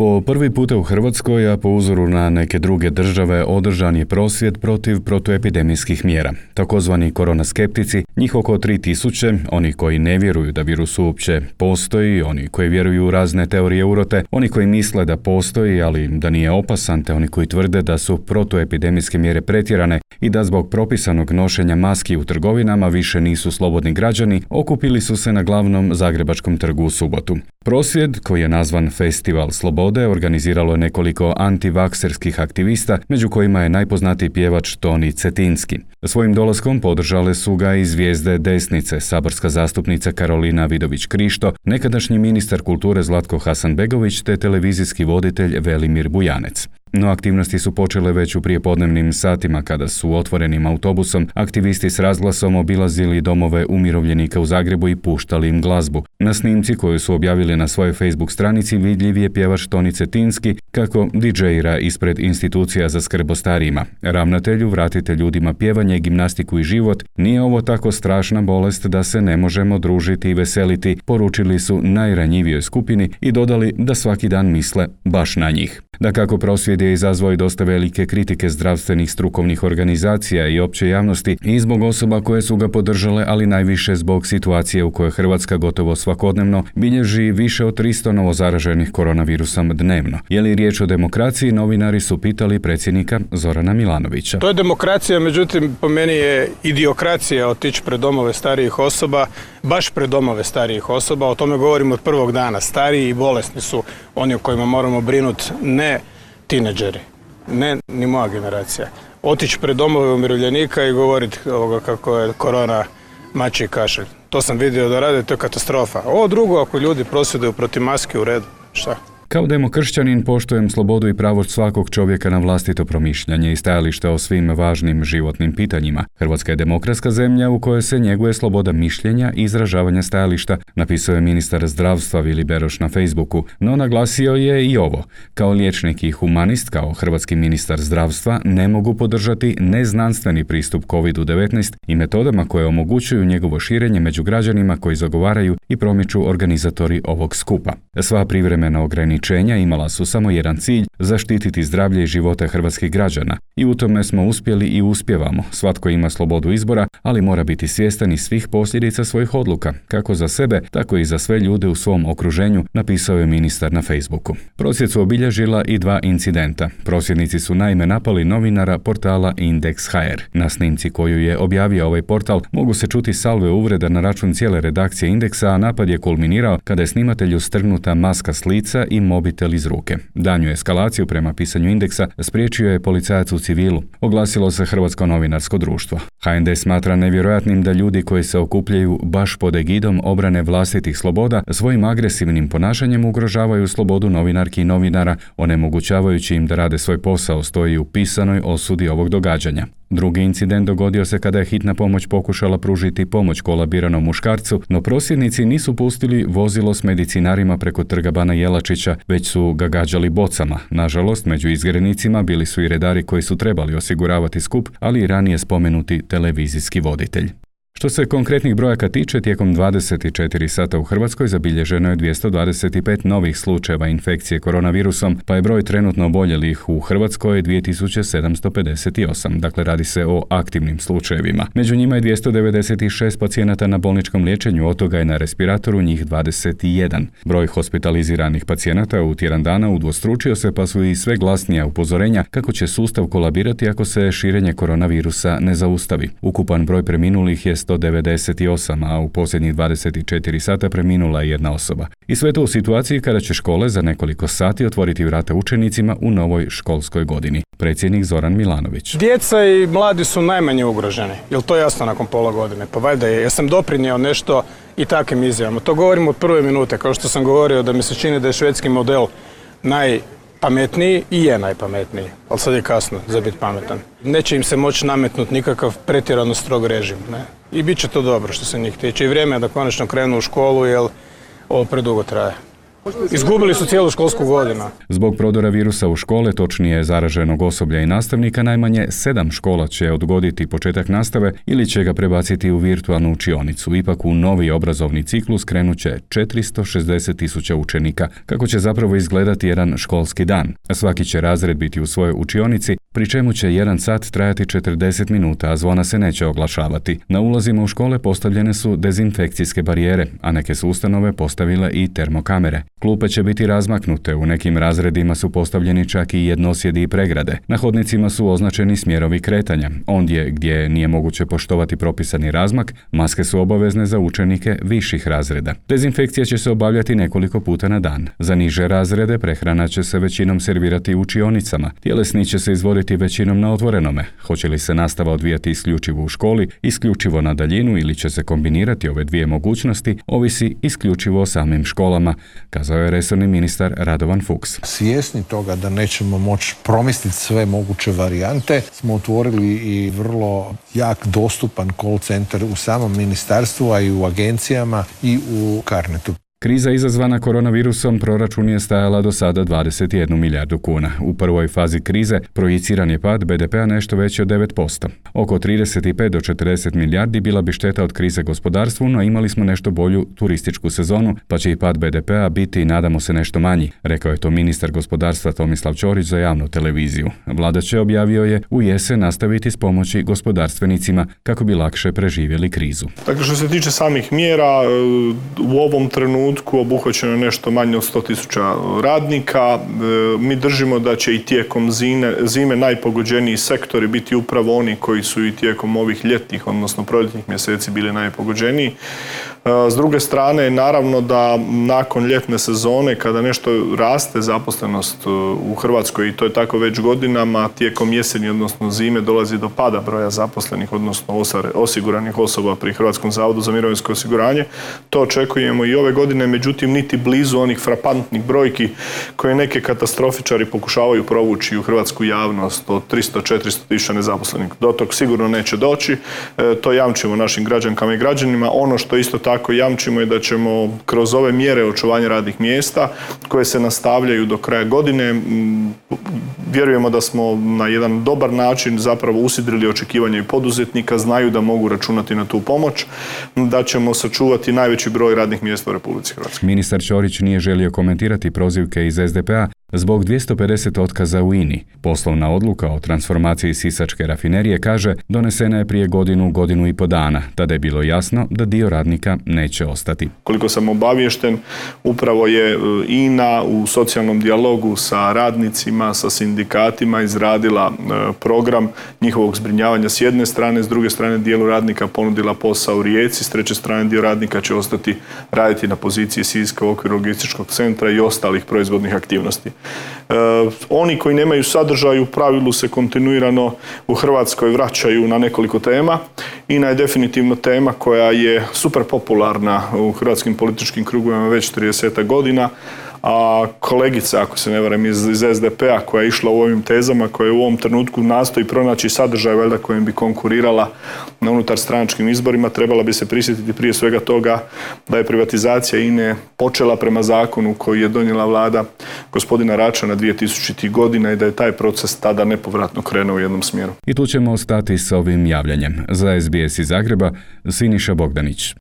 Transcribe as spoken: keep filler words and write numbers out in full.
Po prvi puta u Hrvatskoj, a po uzoru na neke druge države, održan je prosvjed protiv protuepidemijskih mjera. Takozvani koronaskeptici, njih oko tri tisuće, oni koji ne vjeruju da virus uopće postoji, oni koji vjeruju u razne teorije urote, oni koji misle da postoji, ali da nije opasan, te oni koji tvrde da su protuepidemijske mjere pretjerane i da zbog propisanog nošenja maski u trgovinama više nisu slobodni građani, okupili su se na glavnom zagrebačkom trgu u subotu. Prosvjed, koji je nazvan Festival slobode, organiziralo je nekoliko antivakserskih aktivista, među kojima je najpoznatiji pjevač Toni Cetinski. Svojim dolaskom podržale su ga i zvijezde desnice, saborska zastupnica Karolina Vidović-Krišto, nekadašnji ministar kulture Zlatko Hasanbegović te televizijski voditelj Velimir Bujanec. No aktivnosti su počele već u prijepodnevnim satima kada su otvorenim autobusom aktivisti s razglasom obilazili domove umirovljenika u Zagrebu i puštali im glazbu. Na snimci koju su objavili na svojoj Facebook stranici vidljiv je pjevač Toni Cetinski kako didžejira ispred institucija za skrb o starijima. Ravnatelju, vratite ljudima pjevanje, gimnastiku i život, nije ovo tako strašna bolest da se ne možemo družiti i veseliti, poručili su najranjivijoj skupini i dodali da svaki dan misle baš na njih. Dakako, prosvjed je izazvao i dosta velike kritike zdravstvenih strukovnih organizacija i opće javnosti i zbog osoba koje su ga podržale, ali najviše zbog situacije u kojoj Hrvatska gotovo svakodnevno bilježi više od tristo novozaraženih koronavirusom dnevno. Je li riječ o demokraciji, novinari su pitali predsjednika Zorana Milanovića. To je demokracija, međutim po meni je idiokracija otići pred domove starijih osoba, baš pred domove starijih osoba, o tome govorimo od prvog dana. Stariji i bolesni su oni o kojima moramo brinuti, ne tineđeri, ne ni moja generacija. Otići pred domove umirovljenika i govoriti ovoga kako je korona mačji kašelj. To sam vidio da rade, to je katastrofa. Ovo drugo, ako ljudi prosvjeduju protiv maske, u redu, šta? Kao demokršćanin poštujem slobodu i pravo svakog čovjeka na vlastito promišljanje i stajalište o svim važnim životnim pitanjima. Hrvatska je demokratska zemlja u kojoj se njeguje sloboda mišljenja i izražavanja stajališta, napisao je ministar zdravstva Vili Beroš na Facebooku, no naglasio je i ovo. Kao liječnik i humanist, kao hrvatski ministar zdravstva, ne mogu podržati neznanstveni pristup kovid devetnaest i metodama koje omogućuju njegovo širenje među građanima koji zagovaraju i promiču organizatori ovog skupa. Sva privremena ograničenja imala su samo jedan cilj, zaštititi zdravlje i živote hrvatskih građana. I u tome smo uspjeli i uspjevamo. Svatko ima slobodu izbora, ali mora biti svjestan i svih posljedica svojih odluka, kako za sebe, tako i za sve ljude u svom okruženju, napisao je ministar na Facebooku. Prosvjed su obilježila i dva incidenta. Prosvjednici su naime napali novinara portala Indeks точка hr. Na snimci koju je objavio ovaj portal mogu se čuti salve uvreda na račun cijele redakcije Indeksa, a napad je kulminirao kada je snimatelju strgnuta maska s lica i mobitel iz ruke. Danju eskalaciju prema pisanju Indeksa spriječio je policajac u civilu, oglasilo se Hrvatsko novinarsko društvo. ha en de smatra nevjerojatnim da ljudi koji se okupljaju baš pod egidom obrane vlastitih sloboda svojim agresivnim ponašanjem ugrožavaju slobodu novinarki i novinara, onemogućavajući im da rade svoj posao, stoji u pisanoj osudi ovog događanja. Drugi incident dogodio se kada je hitna pomoć pokušala pružiti pomoć kolabiranom muškarcu, no prosvjednici nisu pustili vozilo s medicinarima preko trga Bana Jelačića, već su ga gađali bocama. Nažalost, među izgrednicima bili su i redari koji su trebali osiguravati skup, ali i ranije spomenuti televizijski voditelj. Što se konkretnih brojaka tiče, tijekom dvadeset četiri sata u Hrvatskoj zabilježeno je dvjesto dvadeset pet novih slučajeva infekcije koronavirusom, pa je broj trenutno oboljelih u Hrvatskoj dvije tisuće sedamsto pedeset osam, dakle radi se o aktivnim slučajevima. Među njima je dvjesto devedeset šest pacijenata na bolničkom liječenju, od toga je na respiratoru njih dvadeset jedan. Broj hospitaliziranih pacijenata u tjedan dana udvostručio se, pa su i sve glasnija upozorenja kako će sustav kolabirati ako se širenje koronavirusa ne zaustavi. Ukupan broj preminulih je sto devedeset osam, a u posljednjih dvadeset četiri sata preminula je jedna osoba. I sve to u situaciji kada će škole za nekoliko sati otvoriti vrata učenicima u novoj školskoj godini. Predsjednik Zoran Milanović. Djeca i mladi su najmanje ugroženi. Jel to jasno nakon pola godine? Pa valjda je. Ja sam doprinio nešto i takvim izjavama. To govorim od prve minute, kao što sam govorio da mi se čini da je švedski model najpametniji i je najpametniji. Ali sad je kasno za biti pametan. Neće im se moći nametnuti nikakav pretjerano strog režim. Ne? I bit će to dobro što se njih tiče. I vrijeme je da konačno krenu u školu, jer ovo predugo traje. Izgubili su cijelu školsku godinu. Zbog prodora virusa u škole, točnije zaraženog osoblja i nastavnika, najmanje sedam škola će odgoditi početak nastave ili će ga prebaciti u virtualnu učionicu. Ipak u novi obrazovni ciklus krenut će četiristo šezdeset tisuća učenika. Kako će zapravo izgledati jedan školski dan? Svaki će razred biti u svojoj učionici, pri čemu će jedan sat trajati četrdeset minuta, a zvona se neće oglašavati. Na ulazima u škole postavljene su dezinfekcijske barijere, a neke su ustanove postavile i termokamere. Klupe će biti razmaknute, u nekim razredima su postavljeni čak i jednosjedi i pregrade. Na hodnicima su označeni smjerovi kretanja. Ondje gdje nije moguće poštovati propisani razmak, maske su obavezne za učenike viših razreda. Dezinfekcija će se obavljati nekoliko puta na dan. Za niže razrede prehrana će se većinom servirati u učionicama. Tjelesni će se izvoditi većinom na otvorenome. Hoće li se nastava odvijati isključivo u školi, isključivo na daljinu ili će se kombinirati ove dvije mogućnosti, ovisi isključivo o samim školama, kazao je resorni ministar Radovan Fuchs. Svjesni toga da nećemo moći promisliti sve moguće varijante, smo otvorili i vrlo jak dostupan call centar u samom ministarstvu, a i u agencijama i u Carnetu. Kriza izazvana koronavirusom proračun je stajala do sada dvadeset jednu milijardu kuna. U prvoj fazi krize projiciran je pad be de pea nešto veći od devet posto. Oko trideset pet do četrdeset milijardi bila bi šteta od krize gospodarstvu, no imali smo nešto bolju turističku sezonu, pa će i pad be de pea biti, nadamo se, nešto manji, rekao je to ministar gospodarstva Tomislav Ćorić za javnu televiziju. Vlada će, objavio je, u jesen nastaviti s pomoći gospodarstvenicima kako bi lakše preživjeli krizu. Dakle, što se tiče samih mjera, u ovom trenutku obuhvaćeno nešto manje od sto tisuća radnika. Mi držimo da će i tijekom zime, zime najpogođeniji sektori biti upravo oni koji su i tijekom ovih ljetnih, odnosno proljetnih mjeseci bili najpogođeniji. S druge strane, naravno da nakon ljetne sezone, kada nešto raste zaposlenost u Hrvatskoj, i to je tako već godinama, tijekom jeseni, odnosno zime, dolazi do pada broja zaposlenih, odnosno osiguranih osoba pri Hrvatskom zavodu za mirovinsko osiguranje. To očekujemo i ove godine, međutim, niti blizu onih frapantnih brojki koje neke katastrofičari pokušavaju provući u hrvatsku javnost od tristo do četiristo tisuća nezaposlenih. Do tog sigurno neće doći. E, to jamčimo našim građankama i građanima. Ono što isto tako Tako jamčimo je da ćemo kroz ove mjere očuvanja radnih mjesta koje se nastavljaju do kraja godine, vjerujemo da smo na jedan dobar način zapravo usidrili očekivanja i poduzetnika, znaju da mogu računati na tu pomoć, da ćemo sačuvati najveći broj radnih mjesta u Republici Hrvatskoj. Ministar Ćorić nije želio komentirati prozivke iz es de pe a zbog dvjesto pedeset otkaza u i en i. Poslovna odluka o transformaciji sisačke rafinerije, kaže, donesena je prije godinu, godinu i po dana. Tada je bilo jasno da dio radnika neće ostati. Koliko sam obaviješten, upravo je i en a u socijalnom dijalogu sa radnicima, sa sindikatima izradila program njihovog zbrinjavanja s jedne strane, s druge strane dijelu radnika ponudila posao u Rijeci, s treće strane dio radnika će ostati raditi na poziciji Siska u okviru logističkog centra i ostalih proizvodnih aktivnosti. E, oni koji nemaju sadržaj u pravilu se kontinuirano u Hrvatskoj vraćaju na nekoliko tema. i en a je definitivno tema koja je super popularna u hrvatskim političkim krugovima već trideset godina. A kolegica, ako se ne varam, iz, iz es de pe a koja je išla u ovim tezama, koja u ovom trenutku nastoji pronaći sadržaj valjda kojim bi konkurirala na unutar stranačkim izborima, trebala bi se prisjetiti prije svega toga da je privatizacija i en a počela prema zakonu koji je donijela vlada gospodina Račana dvije tisućitih godina i da je taj proces tada nepovratno krenuo u jednom smjeru. I tu ćemo ostati s ovim javljanjem. Za es be es iz Zagreba, Siniša Bogdanić.